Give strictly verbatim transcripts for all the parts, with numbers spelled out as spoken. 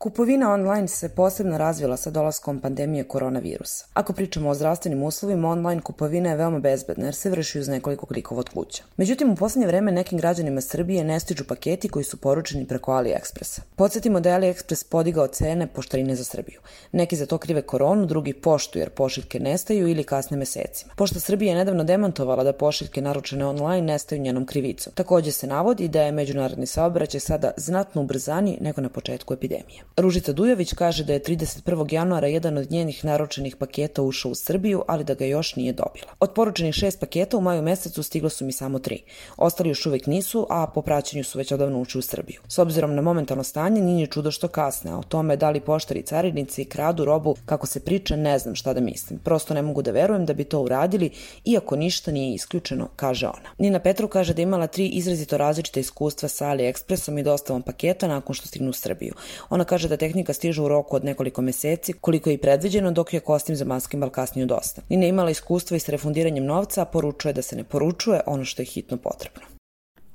Kupovina online se posebno razvila sa dolaskom pandemije koronavirusa. Ako pričamo o zdravstvenim uslovima, online kupovina je veoma bezbedna jer se vrši uz nekoliko klikova od kuća. Međutim, u poslednje vreme nekim građanima Srbije ne stižu paketi koji su poručeni preko AliExpressa. Podsjetimo da je AliExpress podigao cene poštarine za Srbiju. Neki za to krive koronu, drugi poštu jer pošiljke nestaju ili kasne mesecima. Pošta Srbije je nedavno demantovala da pošiljke naručene online nestaju njenom krivicom. Takođe se navodi da je međunarodni saobraćaj sada znatno ubrzaniji nego na početku epidemije. Ružica Dujović kaže da je trideset prvog januara jedan od njenih naručenih paketa ušao u Srbiju, ali da ga još nije dobila. Od poručenih šest paketa u maju mesecu stiglo su mi samo tri. Ostali još uvek nisu, a po praćenju su već odavno ušli u Srbiju. S obzirom na momentalno stanje, nije čudo što kasne, a o tome da li poštari carinici kradu robu, kako se priča, ne znam šta da mislim. Prosto ne mogu da verujem da bi to uradili, iako ništa nije isključeno, kaže ona. Nina Petrov kaže da je imala tri izrazito različita iskustva sa AliExpressom i dostavom paketa nakon što stignu u Srbiju. Ona kaže da tehnika stiže u roku od nekoliko meseci, koliko je i predviđeno, dok je kostim za maskembal kasnije dosta. Nina je imala iskustva i s refundiranjem novca, a poručuje da se ne poručuje ono što je hitno potrebno.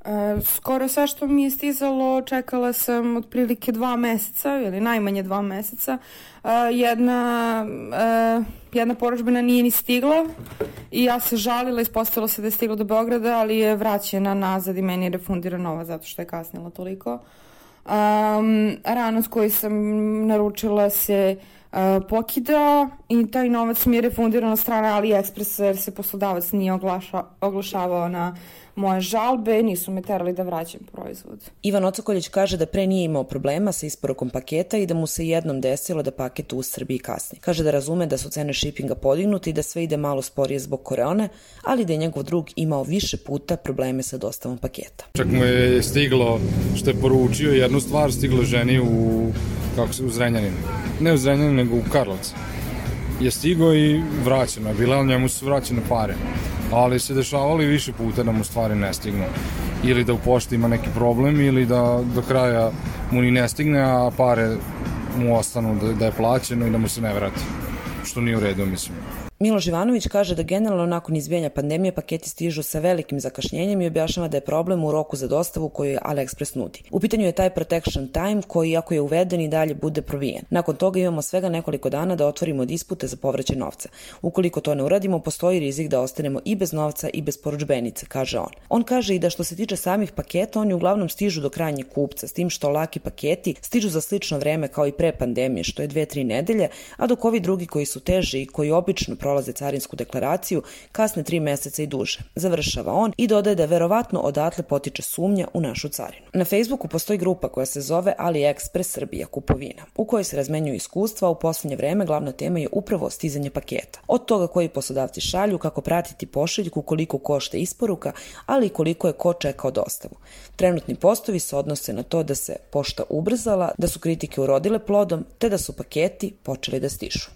E, skoro sve što mi je stizalo čekala sam otprilike dva meseca ili najmanje dva meseca. E, jedna, e, jedna poručbina nije ni stigla i ja se žalila, ispostavilo se da je stigla do Beograda, ali je vraćena nazad i meni je refundirana nova zato što je kasnila toliko. Um, ranac koji sam naručila se uh, pokidao i taj novac mi je refundiran od strane AliExpressa jer se poslodavac nije oglaša, oglašavao na moje žalbe, nisu me terali da vraćam proizvod. Ivan Ocokoljić kaže da pre nije imao problema sa isporukom paketa i da mu se jednom desilo da paket u Srbiji kasni. Kaže da razume da su cene shippinga podignute i da sve ide malo sporije zbog korone, ali da je njegov drug imao više puta probleme sa dostavom paketa. Čak mu je stiglo što je poručio jednu stvar, stiglo ženi u, kako se, u Zrenjaninu. Ne u Zrenjaninu, nego u Karlovcu. Je stigo i vraćeno je, bila njemu su vraćene pare. Ali se dešavalo i više puta da mu stvari ne stignu. Ili da u pošti ima neki problem ili da do kraja mu ni ne stigne, a pare mu ostanu da, da je plaćeno i da mu se ne vrati. Što nije u redu, mislim. Miloš Ivanović kaže da generalno nakon izbijanja pandemije paketi stižu sa velikim zakašnjenjem i objašnjava da je problem u roku za dostavu koju AliExpress nudi. U pitanju je taj protection time koji, ako je uveden, i dalje bude probijen. Nakon toga imamo svega nekoliko dana da otvorimo dispute za povraćaj novca. Ukoliko to ne uradimo, postoji rizik da ostanemo i bez novca i bez poručbenice, kaže on. On kaže i da što se tiče samih paketa, oni uglavnom stižu do krajnjeg kupca, s tim što laki paketi stižu za slično vreme kao i pre pandemije, što je dve tri nedelje, a dok ovi drugi koji su teži i koji obično prolaze carinsku deklaraciju, kasne tri meseca i duže. Završava on i dodaje da verovatno odatle potiče sumnja u našu carinu. Na Facebooku postoji grupa koja se zove AliExpress Srbija kupovina, u kojoj se razmenjuju iskustva, a u poslednje vreme glavna tema je upravo stizanje paketa. Od toga koji poslodavci šalju, kako pratiti pošiljku, koliko košta isporuka, ali i koliko je ko čekao dostavu. Trenutni postovi se odnose na to da se pošta ubrzala, da su kritike urodile plodom, te da su paketi počeli da stižu.